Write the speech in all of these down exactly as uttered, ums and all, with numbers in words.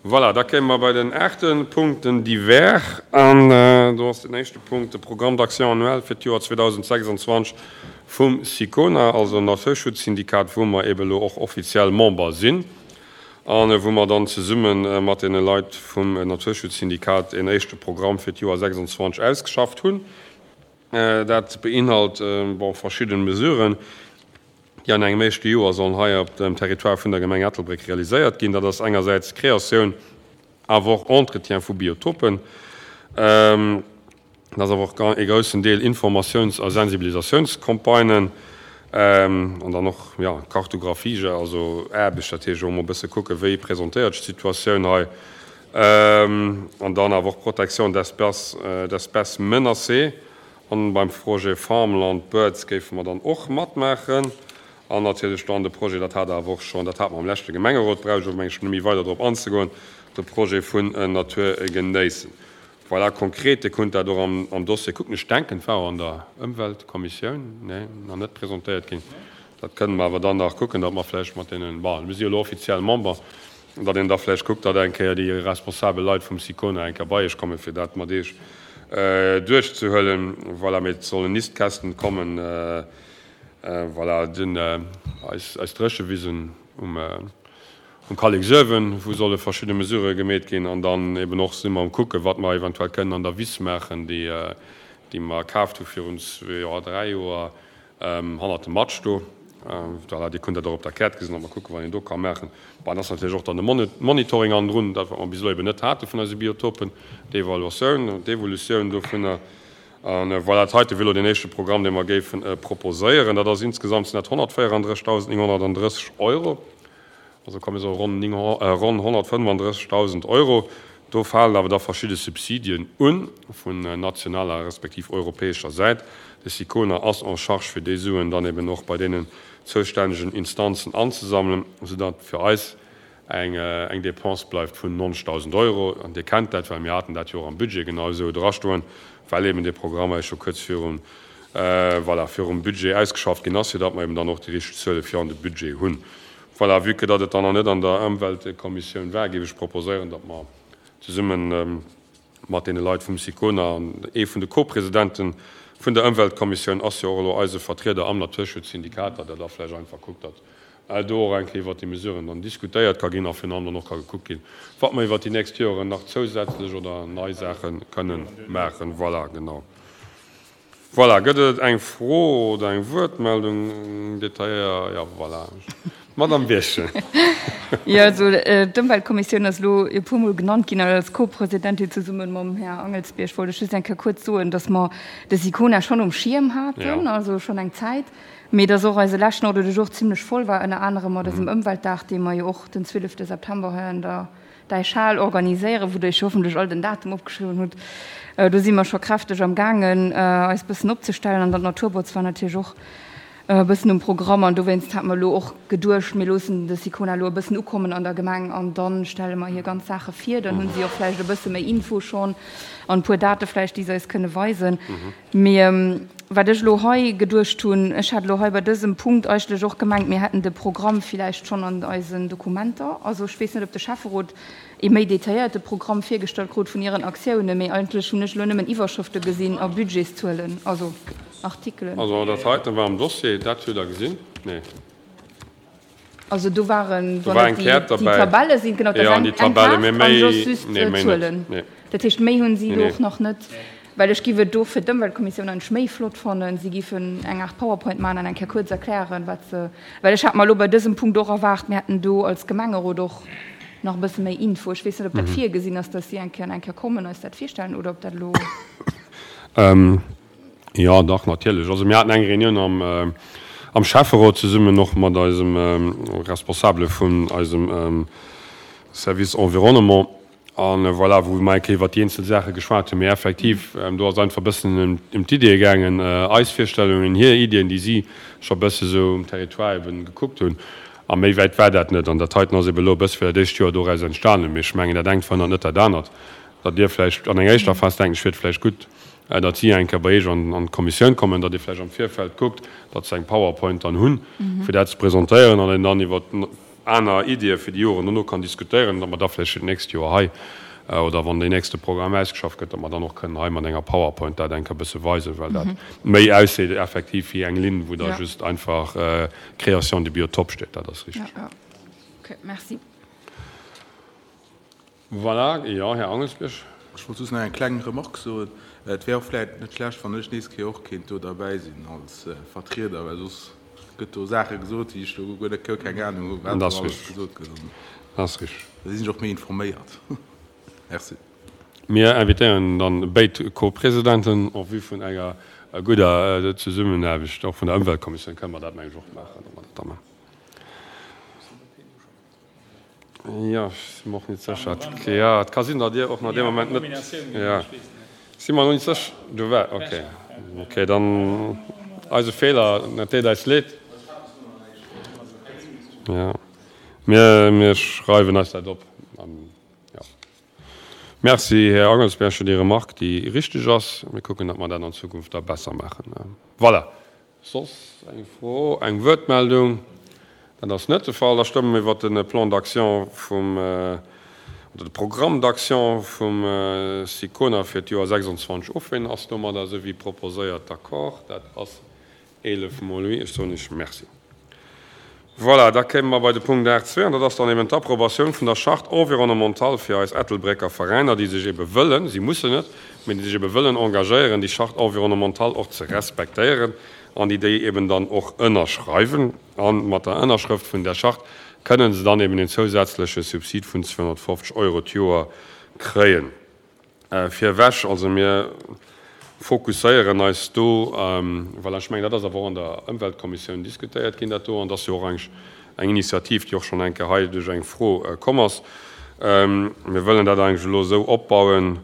Voilà, da kéime mer bei den aachte Punkt, den Divers. An do ass den éischte Punkt de Programme d'action annuel fir d'Joer zweedausendsechsundzwanzeg vum SICONA, also Naturschutzsyndikat, wou mer eben elo och offiziell Member sinn a wou mer dann zesumme mat deene Leit vum Naturschutzsyndikat een éischte Programm fir d'Joer sechsundzwanzeg ausgeschafft hunn. Dat beinhalt, bon, verschidde Mesuren, déi an engem éischte Joer sollen hei op dem Territoire vun der Gemeng Ettelbréck realiséiert ginn. Dat ass engersäits Kreatioun, awer och Entretien vu Biotopen. Dat ass awer och e groussen Deel Informatiouns a Sensibilisatiounscampagnen an dann och, jo, Kartographie, also Aarbecht, dat heescht och emol e bësse kucken, wéi presentéiert sech d'Situatioun hei. An dann awer och Protection d'espèces, d'espèces menacées. An beim Projet Farmland Birds géife mer dann och matmaachen. An natierlech dann de Projet, dat hat awer och schonn, dat hate mer am leschte Gemengerot, brauch ech och, meng ech, net méi weider drop anzegoen, de Projet vun Natur genéissen. Voilà, konkret, Dir kunnt dat och am, am Dossier kucken. Ech denken, et war och an der Ëmweltkommissioun, nee, nach net presentéiert ginn. Dat kënnen mer awer dann nach kucken, datt mer vläicht mat deenen, bon, mir si jo elo offiziell Member, datt een da vläicht kuckt, datt eng Kéier déi responsabel Leit vum SICONA eng Kéier bei Iech kommen, fir dat mat Iech duerchzehuelen. Voilà, mee et sollen Nistkästen kommen, voilà, den, eis, eis Dréchewisen um, um Kalleksuewen, wou solle verschidde Mesurë gemeet ginn. An dann eben och si mer um kucken, wat mer eventuell kënnen an der Wiss maachen, déi, déi mer kaaft hu virun zwee Joer, dräi Joer, hannert dem Matsch do. Voilà, Dir kënnt dat och op der Käert gesinn, a mer kucken, wat een do ka maachen. Bon, et ass natierlech och dann de Monitoring hannendrun, dat wat mer bis elo eben net hate vun eise Biotopen, d'Evaluatioun, d'Evolutioun dovunner. A voilà, dat heite wier elo deen éischte Programm, dee mer géife proposéieren. Dat ass insgesamt sinn dat honnertvéierandrëssigdausendnénghonnertandrësseg Euro, also komm mir soe ronn ronn honnertfënnefandrëssigdausend Euro. Do falen awer da verschidde Subsidien un vun nationaler respektiv europäescher Säit. De SICONA ass en charge, fir déi Suen dann eben och bei deenen zoustännegen Instanzen anzesammelen, soudatt fir eis eng eng Dépense bleift vun neunzigtausend Euro. An Dir kennt dat, well mir haten dat jo och am Budget genau esou drastoen, well eben dee Programm eis scho kuerz virum, voilà, virum Budget ausgeschafft ginn ass, fir datt mer eben dann och déi richteg Zuele fir an de Budget hunn. Voilà, vue que datt et dann nach net an der Ëmweltkommissioun war, géif ech proposéieren, datt mer zesumme mat deene Leit vum SICONA, an ee vun de Co-Presidenten vun der Ëmweltkommissioun ass jo och elo eise Vertrieder am Naturschutzsyndikat, datt Der da vläicht einfach kuckt, datt do och eng Kéier iwwert déi Mesuren dann diskutéiert ka ginn a virun allem dann och ka gekuckt ginn, wat mer iwwert déi nächst Joren nach zousätzlech oder nei Saache kënnen maachen. Voilà, genau. Voilà, gëtt et eng Fro oder eng Wuertmeldung detailléier? Jo, voilà, d'Madame Birchen. Jo, also d'Ëmweltkommissioun ass elo e puermol genannt ginn an als Co-Presidentin zesumme mam Här Angelsbierg wollt ech just eng Kéier kuerz soen, dass mer de SICONA schonn um Schierm haten, also schonn eng Zäit, mee dass och eise leschten Ordre du jour zimlech voll war, ënner anerem mat eisem Ëmweltdag, dee mer jo och den zwielefte September hei an der Däichhal organiséieren, wou Der Iech hoffentlech all den Datum opgeschriwwen hutt. Do si mer scho kräfteg am gaangen, eis bëssen opzestellen. An dann d'Naturbotz war natierlech och e bëssen um Programm. An dowéinst hate mer elo och geduecht, mir loossen de SICONA elo e bëssen ukommen an der Gemeng an da stelle mer hir ganz Saache vir. Dann hu si och vläicht e bësse méi Info schonn an e puer Date vläicht, déi se eis kënne weisen. Mee wat ech elo hei geduecht hunn, ech hat elo hei bei dësem Punkt eigentlech och gemengt, mir hätten de Programm villäicht schonn an eisen Dokumenter. Also ech weess net, ob de Schäfferot ee méi detailléierte Programm virgestallt krut vun hiren Aktiounen, mee eigentlech hunn ech elo nëmmen Iwwerschrëfte gesinn a Budgetszuelen, also Artikelen. Also dat heiten war am Dossier, dat hutt Der gesinn? Nee. Also do waren, wann et déi Tabelle sinn, genau, dat ass eng Kaart an soss just Zuelen. Dat heescht, méi hunn si do och nach net, well ech giff et do fir d'Ëmweltkommissioun eigentlech méi flott fannen, si giffen eng Aart PowerPoint maachen an eng Kéier kuerz erklären, wat se, well ech hat mer elo bei dësem Punkt och erwaart, mir hätten do als Gemengerot och nach e bësse méi Info. Ech weess net, ob dat virgesinn ass, datt si eng Kéier an eng Kéier kommen, eis dat virstellen oder ob dat elo. Jo, dach, natierlech. Also mir haten eng Reunioun am, am Schäfferot zesummen och mat eisem Responsabele vun eisem Service Environnement a voilà, wou mer eng Kéier iwwert déi eenzel Saache geschwat hunn. Mee effektiv, do ass einfach e bëssen ëm d'Iddie gaangen, eis Virstellungen, hir Iddien, déi si scho e bësse sou um Territoire eben gekuckt hunn. A méi wäit war dat net. An dat heiten ass eben elo e bësse fir dat éischt Joer doraus entstanen. Mee ech mengen, dat engt verhënnert net dat anert. Datt Dir vläicht an enger éischter Phas, denken ech, wier et vläicht gutt, datt si eng Kéier bei Iech an d'Kommissioun kommen, datt Dir vläicht am Virfeld kuckt, datt se eng PowerPoint dann hunn, fir dat ze presentéieren an een dann iwwer aner Iddie fir déi Joren dono kann diskutéieren, datt mer da vläicht fir d'nächst Joer hei, oder wann deen nächste Programm ausgeschafft gëtt, datt mer dann och kënnen hei mat enger PowerPoint dat eng Kéier e bësse weisen, well dat méi ausseet effektiv wéi eng Linn, wou da just einfach Création de biotope steet. Dat ass richteg. Ja, ja. Okay, merci. Voilà, jo, Här Angelsbierg. Ech wollt just nach eng kleng Remarque soen. Et wär och vläicht net schlecht, wann ech nees Kéier och kéint do derbäi sinn als Vertrieder, well soss gëtt do Saache gesot, déi ech do guer net, guer keng Anung hunn, wat do alles gesot gëtt. Dat ass richteg. Da sinn ech och méi informéiert. Merci. Mir invitéieren dann béid Co-Presidenten en vue vun enger gudder Zesummenaarbecht och vun der Ëmweltkommissioun kënne mer dat, meng ech, och maachen, datt mer dat da maachen. Jo, ech si mer och net sécher. Jo, et ka sinn, datt Dir och nach dee Moment net, jo, si mer nach net sécher. Du war, okay. Okay, dann eise Feeler, et deet eis leed. Jo, mir, mir schreiwen eis dat op. Jo. Merci, Här Angelsberg, fir déi Remarque, déi richteg ass. Mir kucken, datt mer dat an Zukunft da besser maachen. Voilà. Soss eng Fro, eng Wuertmeldung? Dat ass net de Fall. Da stëmme mir iwwert de Plan d'action vum, oder de Programme d'action vum SICONA fir d'Joer sechsundzwanzeg of. Ween ass domadder, esou wéi proposéiert, d'accord? Dat ass eelef mol oui. Ech soen Iech Merci. Voilà, da kéime mer bei de Punkt aacht zwee, an dat ass dann eben d'Approbatioun vun der Charte environnementale fir eis Ettelbrécker Veräiner, déi sech ebe wëllen, si mussen net, mee déi sech ebe wëllen engagéieren, déi Charte environnementale och ze respektéieren an déi déi eben dann och ënnerschreiwen. A mat der Ënnerschrëft vun där Charte kënnen se dann eben een zousätzleche Subsid vun zweehonnertfofzeg Euro d'Joer kréien. Virewech, also mir fokusséieren eis do, voilà, ech mengen, dat ass awer och an der Ëmweltkommissioun diskutéiert ginn, dat do, an dat ass jo och eigentlech eng Initiativ, déi och schonn eng Kéier hei duerch eng Fro komm ass. Mir wëllen dat eigentlech elo esou opbauen,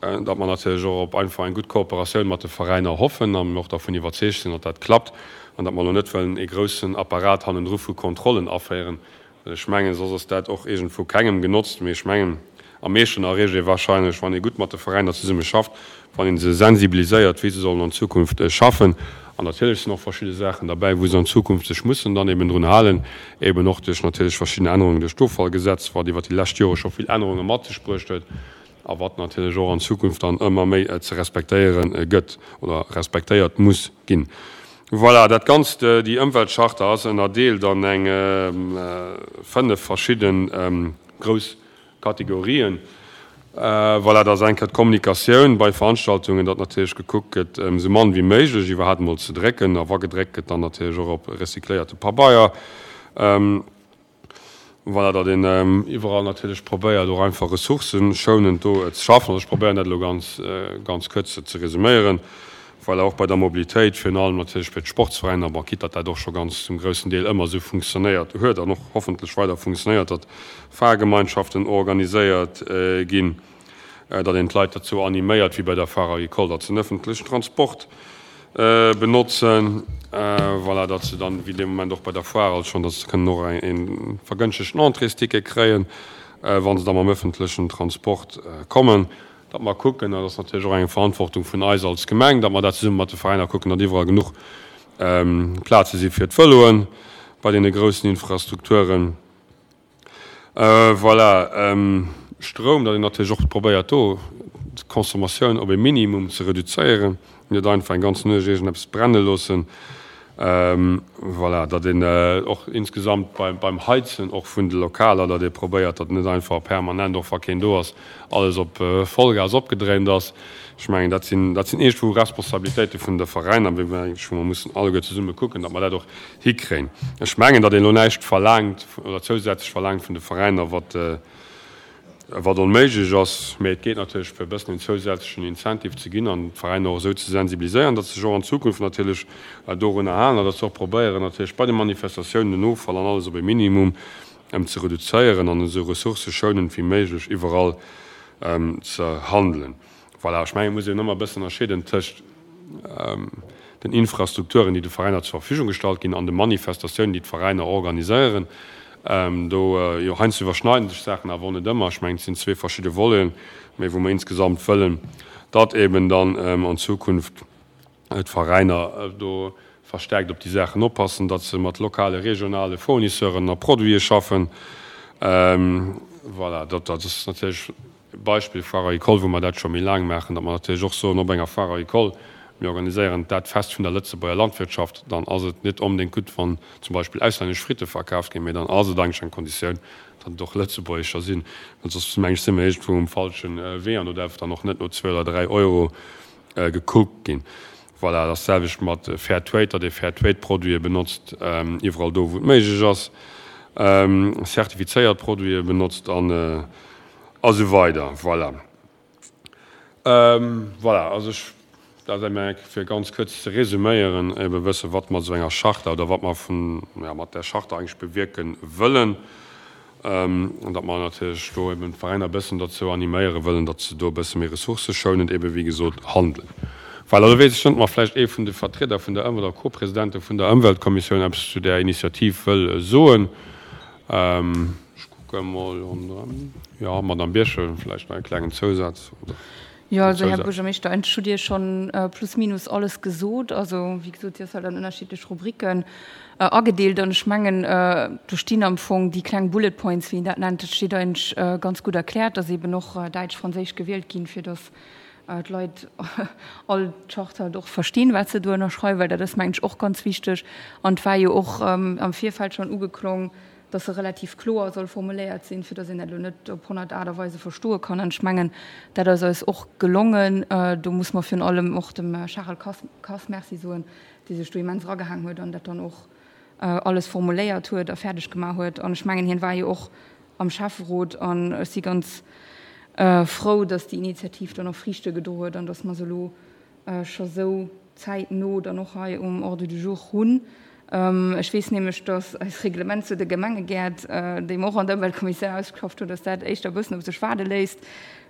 datt mer natierlech och op einfach eng gutt Kooperatioun mat de Veräiner hoffen a mir och dervun iwwerzeegt sinn, datt dat klappt an datt mer elo net wëllen ee groussen Apparat hannendru vu Kontrollen aféieren, Well ech mengen, soss ass dat och iergendwou kengem genotzt. Mee ech mengen, am meeschten erreecht ee wahrscheinlech, wann ee gutt mat de Veräiner zesumme schafft, wann ee se sensibiliséiert, wéi se sollen an Zukunft schaffen. An natierlech sinn och verschidde Saachen derbäi, wou se an Zukunft sech mussen dann eben drun halen, eben och duerch natierlech verschidden Ännerungen duerch d'Offallgesetz, wat iwwert déi lescht Jore scho vill Ännerunge mat sech bruecht huet a wat natierlech och an Zukunft dann ëmmer méi ze respektéiere gëtt oder respektéiert muss ginn. Voilà, dat Ganzt, déi Ëmweltcharta ass ënnerdeelt an eng fënnef verschidde grouss Kategorien. Voilà, dat ass eng Kéier d'Kommunikatioun bei Veranstaltungen, datt natierlech gekuckt gëtt, esou mann wéi méiglech iwwerhaapt emol ze drécken, a wa gedréckt gëtt, dann natierlech och op recycléierte Pabeier. Voilà, datt een iwwerall natierlech probéiert, och einfach ressourcëschounend do ze schaffen. Also ech probéieren dat elo ganz, ganz kuerz ze resuméieren. Voilà, och bei der Mobilitéit, virun allem natierlech fir d'Sportsveräiner, bon, quitte datt dat och scho ganz zum groussen Deel ëmmer esou funktionéiert huet an och hoffentlech weider funktionéiert, datt Fahrgemeinschaften organiséiert ginn, datt een d'Leit dozou animéiert, wéi bei der Foire agricole, datt se den öffentlechen Transport benotzen, voilà, datt se dann, wéi dee Moment och bei der Foire alt schonn, datt se kënnen och e vergënschtegten Entréesticket kréien, wa se da mam öffentlechen Transport kommen. Datt mer kucken, dat ass natierlech och eng Verantwortung vun eis als Gemeng, datt mer dat zesumme mat de Veräiner kucken, datt iwwerall genuch Plaze si fir d'Vëloen bei deene groussen Infrastrukturen. Voilà, Stroum, datt een natierlech och probéiert do d'Consommatioun op e Minimum ze reduzéieren, net einfach eng ganz Nuecht iergendeppes brenne loossen. Voilà, datt een och insgesamt beim Heizen och vun de Lokaler, datt ee probéiert, datt net einfach permanent, och wa keen do ass, alles op Vollgas opgedréint ass. Ech mengen, dat sinn, dat sinn iergendwou Responsabilitéite vun de Veräiner, wou mer eigentlech, wou mer mussen alleguer zesumme kucken, datt mer dat och hikréien. Ech mengen, datt een elo näischt verlaangt oder zousätzlech verlaangt vun de Veräiner, wat, wat onméiglech ass, mä et geet natierlech fir e bëssen en zousätzlechen Incentive ze ginn an d'Veräiner och esou ze sensibiliséieren, datt se sech och an Zukunft natierlech dorunner halen an datt se och probéieren natierlech bei de Manifestatiounen den Offall an alles op e Minimum ze reduzéieren an esou ressourcëschounend wéi méiglech iwwerall ze handelen. Voilà, ech mengen, et muss een ëmmer e bëssen ënnerscheeden tëscht den Infrastrukturen, déi de Veräiner zur Verfügung gestallt ginn, an de Manifestatiounen, déi d'Veräiner organiséieren. Do, jo, heiansdo iwwerschneiden sech d'Saachen awer och net ëmmer. Ech mengen, et sinn zwee verschidde Voleten, mä wou mer insgesamt wëllen, datt eben dann an Zukunft d'Veräiner do verstärkt op déi Saachen oppassen, datt se mat lokale, regionale Fournisseuren a Produite schaffen. Voilà, dat ass natierlech e Beispill Foire Agricole, wou mer dat scho méi laang maachen, datt mer natierlech och soen, op enger Foire Agricole, mir organiséieren dat Fest vun der Lëtzebuerger Landwirtschaft, dann ass et net onbedéngt gutt, wann zum Beispill auslännesch Fritte verkaaft ginn, mee dann ass et eigentlech eng Konditioun, datt et och lëtzebuergescher sinn, well soss, meng ech, si mer iergendwou um falsche Wee an do däerf dann och net no zwee oder dräi Euro gekuckt ginn. Voilà, dat ass d'selwecht mat Fair Trade, datt ee Fair Trade Produite benotzt, iwwerall do, wou et méiglech ass, zertifizéiert Produite benotzt an a sou weider. Voilà. Voilà, also ech, dat ass eng fir ganz kuerz ze resuméieren, ebe wësse wat mer esou enger Charta oder wat mer vun, ja, mat där Charta eigentlech bewierke wëllen. An datt mer natierlech do eben d'Veräiner e bëssen dozou animéiere wëllen, datt se do e bësse méi ressourcëschounend ebe wéi gesot handelen. Voilà, elo weess ech net, ob mer vläicht ee vun de Vertrieder vun der Ëmwelt oder Co-Presidente vun der Ëmweltkommissioun eppes zu där Initiativ wëll soen. Ech kucke mol ronderëm. Jo, Madamm Birchen, vläicht nach e klengen Zousaz, oder? Jo, also Här Buergermeeschter, ech hutt Dir schonn plus minus alles gesot. Also wéi gesot, si ass halt an ënnerschiddlech Rubriken agedeelt an ech mengen, do stinn am Fong déi kleng Bullet Points, wéi een dat nennt, dat steet eigentlech ganz gutt erkläert, dass eeben och Däitsch, Franséisch gewielt ginn, fir dass d'Leit all d'Charte halt och verstinn, wat se do ënnerschreiwen, well dat ass, mengen ech, och ganz wichteg. An et war jo och am Virfeld schonn ugeklong, dass se relativ kloer soll formuléiert sinn, fir dass een dat elo net op honnert Aart a Weise verstoe kann. An ech mengen, dat ass eis och gelongen. Do muss mer virun allem och dem Charel Kass Merci soen, dee sech do immens eragehaang huet an dat dann och alles formuléiert huet a fäerdeg gemaach huet. An ech mengen, hien war jo och am Schäfferot an ech si ganz frou, dass déi Initiativ dann och Friichte gedro huet an dass mer se elo scho sou zäitno dann och hei um Ordre du jour hunn. Ech weess nämlech, dass eist Reglement zu de Gemengegäert, déi mer och an der Ëmweltkommissioun ausgeschafft hunn, dass dat éischter e bëssen op sech waarde léisst.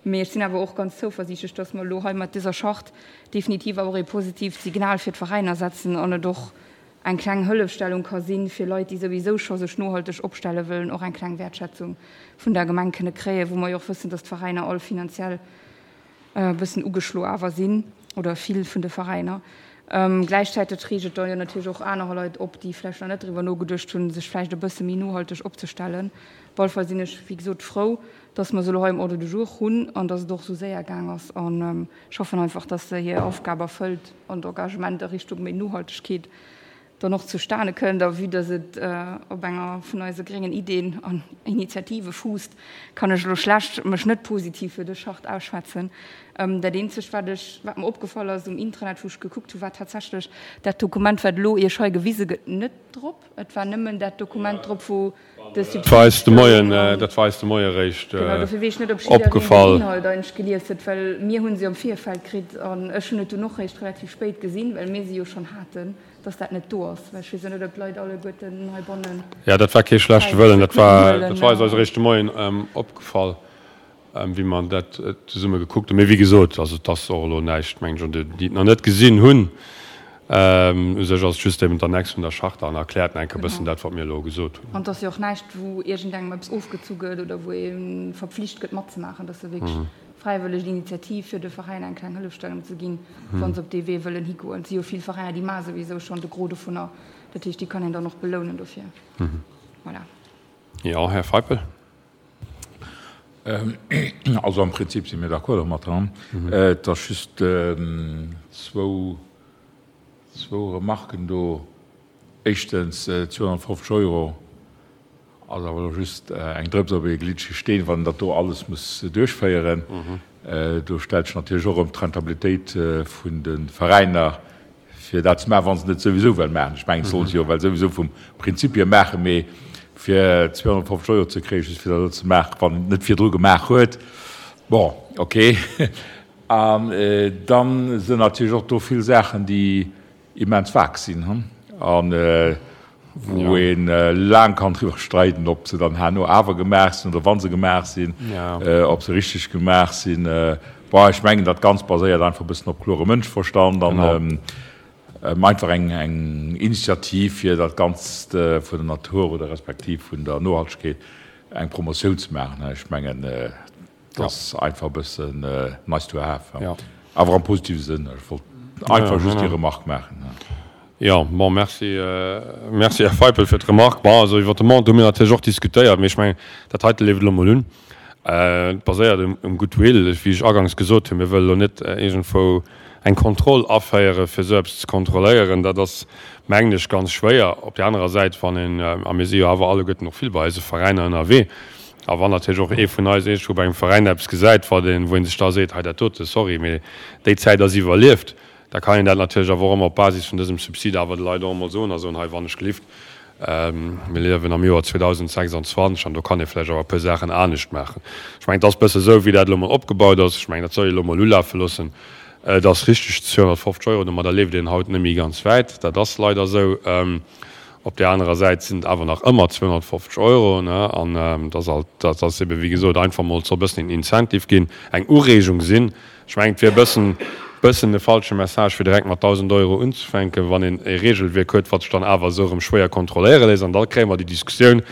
Mee ech sinn awer och ganz zouversiichtlech, dass mer elo hei mat dëser Charte definitiv awer och ee positiivt Signal fir d'Veräiner setzen an et och eng kleng Hëllefstellung ka sinn, fir Leit, déi souwisou scho sech nohalteg opstelle wëllen, och eng kleng Wäertschätzung vun der Gemeng kënne kréien, wou mer jo och wëssen, dass d'Veräiner all finanziell e bëssen ugeschlo awer sinn, oder vill vun de Veräiner. Gläichzäiteg reegt et da jo natierlech och anerer Leit op, déi vläicht nach net driwwer nogeduecht hunn, sech vläicht e bësse méi nohalteg opzestellen. Op alle Fall sinn ech, wéi gesot, frou, dass mer se elo hei um Ordre du jour hunn an dass et och esou séier gaang ass. An ech hoffen einfach, dass se hir Aufgab erfëllt an d'Engagement a Richtung méi Nohaltegkeet dann och zustane kënnt. A vue dass et op enger vun eise gréngen Ideen an Initiative fuusst, kann ech elo schlecht mech net positiv fir dës Charte ausschwätzen. Dat eenzegt, wat ech, wat mer opgefall ass um Intranet, wou ech gekuckt hu, war tatsächlech dat Dokument, wat elo Iech hei gewise gëtt, net drop. Et war nëmmen dat Dokument drop, wou de Dat war eis de Moien, dat war eis de Moie eréischt Genau, dofir weess ech net, ob jiddereen den opgefall. Inhalt eigentlech gelies huet, well mir hu se am Virfeld kritt an ech hunn et dunn och réischt relativ spéit gesinn, well mir se jo schonn haten. Dass dat net do ass, well ech weess jo net, ob d'Leit alleguerten heibannen. Jo, dat war kee schlechte Wëllen. Dat war, dat war eis eis eréischt de Moien opgefall, wéi mer dat zesumme gekuckt hunn. Mee wéi gesot, also et ass och elo näischt, mengen ech, un déi, déi et nach net gesinn hunn. U sech ass et just eben d'Annex vun der Charta an erkläert nach eng Kéier e bëssen dat, wat mir elo gesot hunn. An et ass jo och näischt, wou iergendengem eppes ofgezu gëtt oder wou ee verpflicht gëtt matzemaachen. Dat ass jo wierklech fräiwëlleg Initiativ, fir de Veräiner eng kleng Hëllefstellung ze ginn, wa se op dee Wee wëllen higoen. Et si jo vill Veräiner, déi maache souwisou schonn de Gros dovunner. Dat heescht, déi kann een dann och belounen dofir. Voilà. Jo, Här Feipel. Also am Prinzip si mir d'accord domat. Et ass just zwou, zwou Remarken do. Éischtens, zweehonnertfofzeg Euro ass awer elo just eng Drëps op ee gliddege Steen, wann een dat do alles muss duerchféieren. Do stellt sech natierlech och erëm d'Rentabilitéit vun de Veräiner, fir dat ze maachen, wa se et souwisou wëlle maachen. Ech mengen, et solle se jo well souwisou vum Prinzip hier maachen, mee fir zweehonnertfofzeg Euro ze kréien, just fir dat elo ze maachen, wann een et net virdru gemaach huet, bon, okay. An da sinn natierlech och do vill Saachen, déi immens vag sinn an wou ee laang kann driwwer streiden, ob se dann herno awer gemaach sinn oder wa se gemaach sinn, ob se richteg gemaach sinn. Bon, ech mengen, dat Ganzt baséiert einfach e bëssen op klore Mënscheverstand an einfach eng Initiativ, fir dat Ganzt vun der Natur oder respektiv vun der Nohaltegkeet eng Promotioun ze maachen. Ech mengen, Dat ass einfach e bëssen nice to have, awer am positive Sënn. Ech wollt einfach just déi Remarque maachen. Jo, bon, merci, merci, Här Feipel, fir d'Remark. Bon, also iwwert de Montant hu mir natierlech och diskutéiert, mee ech mengen, dat heite leeft elo emol un. Et baséiert um Goodwill, wéi ech aganks gesot hunn. Mir wëlle elo net iergendwou eng Kontroll aféieren, fir esou eppes ze kontrolléieren. Dat ass, mengen ech, ganz schwéier. Op där anerer Säit, wann een, a mir si jo awer alleguerten och vill bei eise Veräiner ënnerwee, a wann natierlech och ee vun eis iergendwou bei engem Veräin eppes gesäit, wat een, wou ee sech da seet, hei dat dote, sorry, mee déi Zäit ass iwwerlieft, Da kann een dat natierlech awer och ëmmer op Basis vun dësem Subsid awer de Leit och emol soen a soen, hei wann ech gelift, mir liewen am Joer zweedausendsechsundzwanzeg an do kann ee vläicht awer e puer Saachen anescht maachen. Ech mengen, et ass e bësse esou, wéi dat elo emol opgebaut ass. Ech mengen, dat soll ee elo emol ulafe loossen. Et ass richteg, zweehonnertfofzeg Euro, domadder leeft een haut net méi ganz wäit. Dat ass leider esou. Op där anerer Säit sinn et awer nach ëmmer zweehonnertfofzeg Euro, ne? An et ass alt, dat ass ebe wéi gesot einfach emol, et soll e bëssen een Incentive ginn, eng Ureegung sinn. Ech mengen, et wier e bëssen, bëssen e falsche Message, fir direkt mat dausend Euro unzefänken, wann een e Regelwierk huet, wat sech dann awer esou erëm schwéier kontrolléiere léisst. An da kréie mer déi Diskussioun,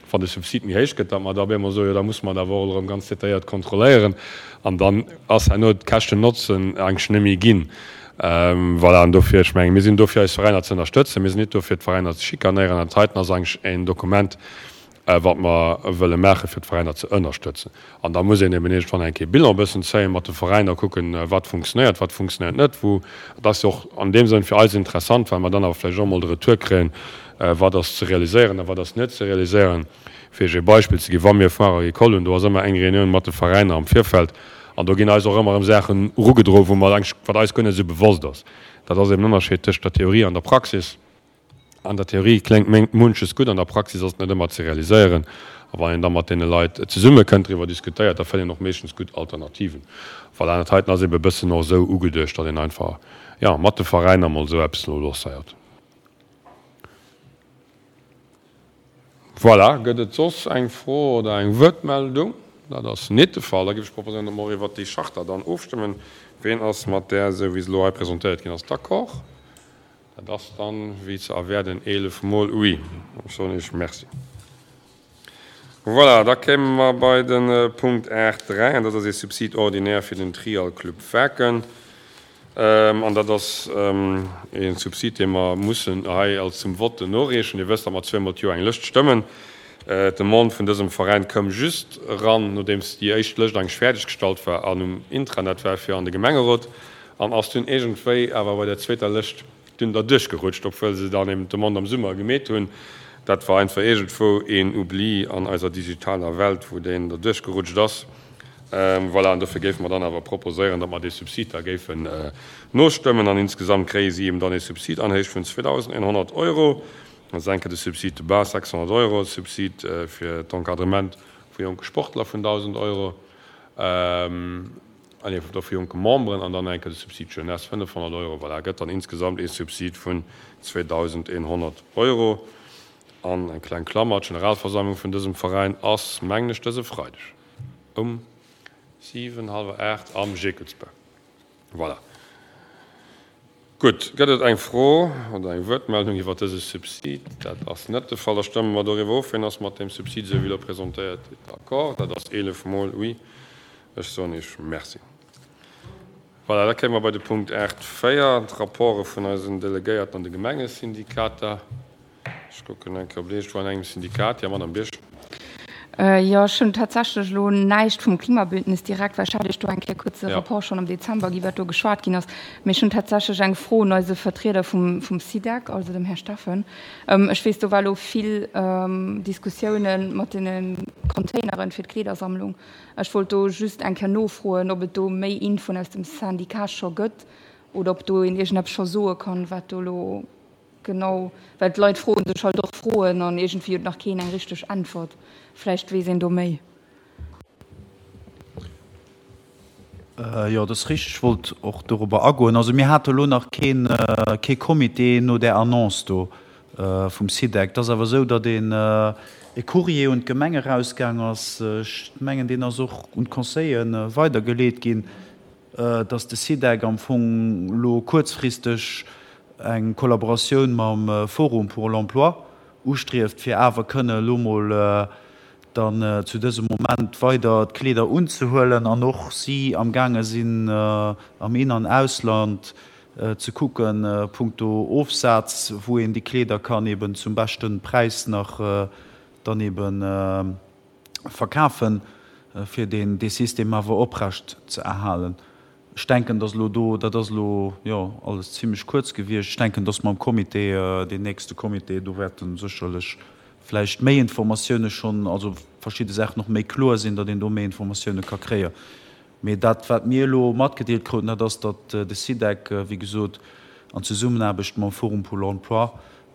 wann de Subsid méi héich gëtt, datt mer da op eemol soen, jo da musse mer et awer och erëm ganz detailléiert kontrolléieren. An dann ass herno d'Käschten-Notzen eigentlech net méi ginn. Voilà, an dofir, ech mengen, mir sinn do fir eis Veräiner ze ënnerstëtzen, mir sinn nit do fir d'Veräiner ze schikanéieren. An dat heiten ass eigentlech en Dokument, wat mer wëlle maachen, fir d'Veräiner ze ënnerstëtzen. An da muss een eben iergendwann eng Kéier Bilan e bëssen zéien mat de Veräiner, kucken, wat funktionéiert, wat funktionéiert net, wou. Et ass jo och an deem Sënn fir eis interessant, well mer dann awer vläicht och emol de Retour kréien, wat ass ze realiséieren a wat ass net ze realiséieren. Fir Iech ee Beispill ze ginn, Wa mir Foire agricole hunn, do ass ëmmer eng Reunioun mat de Veräiner am Virfeld an do ginn eis och ëmmer erëm Saachen erugedroen, wou mer eigentlech, wat eis guer net esou bewosst ass. Dat ass eben den Ënnerscheed tëscht der Theorie an der Praxis. An der Theorie kléngt munches gutt, an der Praxis ass et net ëmmer ze realiséieren. A wann een da mat deene Leit zesummekënnt, driwwer diskutéiert, da fënnt een och meeschtens gutt Alternativen. Voilà, an dat heiten ass ebe e bëssen och esou ugeduecht, datt een einfach, jo, mat de Veräiner emol esou eppes elo lancéiert. Voilà, gëtt et soss eng Fro oder eng Wuertmeldung? Dat ass nit de Fall. Da géif ech proposéieren, datt mer och iwwert déi Charta dann ofstëmmen. Ween ass mat där, esou wéi se elo hei presentéiert ginn ass, d'accord? Dat ass dann, wéi ze erwäerden, eelef mol oui. Ech soen Iech Merci. Voilà, da kéime mer bei de Punkt aacht dräi, an dat ass ee Subside ordinaire fir den Trial Club Waarken. An dat ass ee Subsid, dee mer mussen hei als zum Vote noreechen. Dir wësst, datt mer zweemol d'Joer eng Lëscht stëmmen. D'Demande vun dësem Veräin koum just eran, nodeems déi éischt Lëscht eigentlech fäerdeggestallt war an um Intranet war fir an de Gemengerot, an ass dunn iergendwéi awer bei der zweeter Lëscht dunn derduerch gerutscht, obwuel se dann eben d'Demande am Summer gemeet hunn. Dat war einfach iergendwou een Oubli an eiser digitaler Welt, wou deen derduerch gerutscht ass. Voilà, an dofir géife mer dann awer proposéieren, datt mer dee Subsid da géifen nostëmmen. An insgesamt kréie si eben dann ee Subsid an Héicht vun zweedausendeenhonnert Euro. Dat ass eng Kéier de Subside de base, sechshonnert Euro, de Subsid fir d'Encadrement vu jonke Sportler vun dausend Euro, ah nee, vu jonke Memberen, an dann eng Kéier de Subside jeunesse, fënnefhonnert Euro. Voilà, gëtt dann insgesamt ee Subsid vun zweedausendeenhonnert Euro. An eng kleng Klammer, D'Generalversammlung vun dësem Veräin ass, mengen ech, dëse Freideg um siwen, hallwer aacht am Jekelsbau. Voilà. Gutt, gëtt et eng Fro oder eng Wuertmeldung iwwert dëse Subsid? Dat ass net de Fall. Da stëmme mer doriwwer of. Wien ass mat deem Subsid, esou wéi elo presentéiert, d'accord? Dat ass eelef Mol oui. Ech soen Iech Merci. Voilà, da kéime mer bei de Punkt aacht véier, d'Rapporte vun eisen Delegéierten an de Gemengesyndikater. Ech kucken eng Kéier op Iech, an engem Syndikat, jo, Madame Birsch. Jo, ech hunn tatsächlech elo näischt vum Klimabündnis direkt, well ech hat Iech do eng Kéier kuerz e Rapport schonn am Dezember ginn, wat do geschwat ginn ass. Mee ech hunn tatsächlech eng Fro un eise Vertrieder vum, vum SIDEC, also dem Här Steffen. Ech weess, do war elo vill Diskussiounen mat deene Containeren fir d'Kleedersammlung. Ech wollt do just eng Kéier nofroen, ob et do méi Infoen aus dem Syndicat scho gëtt oder ob do een iergendeppes scho soe kann, wat do elo Genau, well d'Leit froen sech halt och Froen an iergendwéi huet nach keen eng richteg Äntwert. Vläicht weess een do méi. Jo, dat ass richteg. Ech wollt och dorobber agoen. Also mir hate elo nach keen, kee Comité no där Annonce do vum SIDEC. Et ass awer esou, datt een e Courrier un d'Gemeng erausgaang ass. Ech mengen, deen ass och un d'Conseillen weidergeleet ginn. dass de SIDEC am Fong elo kuerzfristeg eng Kollaboratioun mam Forum pour l'emploi ustrieft, fir awer kënne elo mol dann zu dësem Moment weider d'Kleeder unzehuelen an och si amgaange sinn am In an Ausland ze kucken punkto Ofsaz, wou een déi Kleeder kann eben zum beschte Präis nach dann eben verkafen, fir deen dee System awer oprecht ze erhalen. Ech denken, dass elo do, dat ass elo, jo, alles zimlech kuerz gewiescht, ech denken, dass mer am Comité, deen nächste Comité, do wäerte sécherlech vläicht méi Informatioune schonn, also verschidde Saachen och méi kloer sinn, datt een do méi Informatioune ka kréien. Mee dat, wat mir elo matgedeelt kruten, dat ass, datt de SIDEC, wéi gesot, an Zesummenaarbecht mam Forum pour l'emploi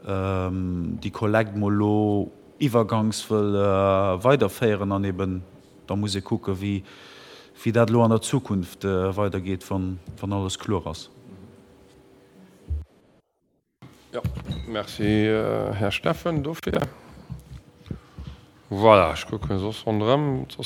déi Kollekt mol elo iwwergangs wëll weiderféieren an eben da muss ee kucken, wéi dat elo an der Zukunft weidergeet, wann alles kloer ass. Jo, merci, Här Steffen, dofir. Voilà, ech kucke soss ronderëm.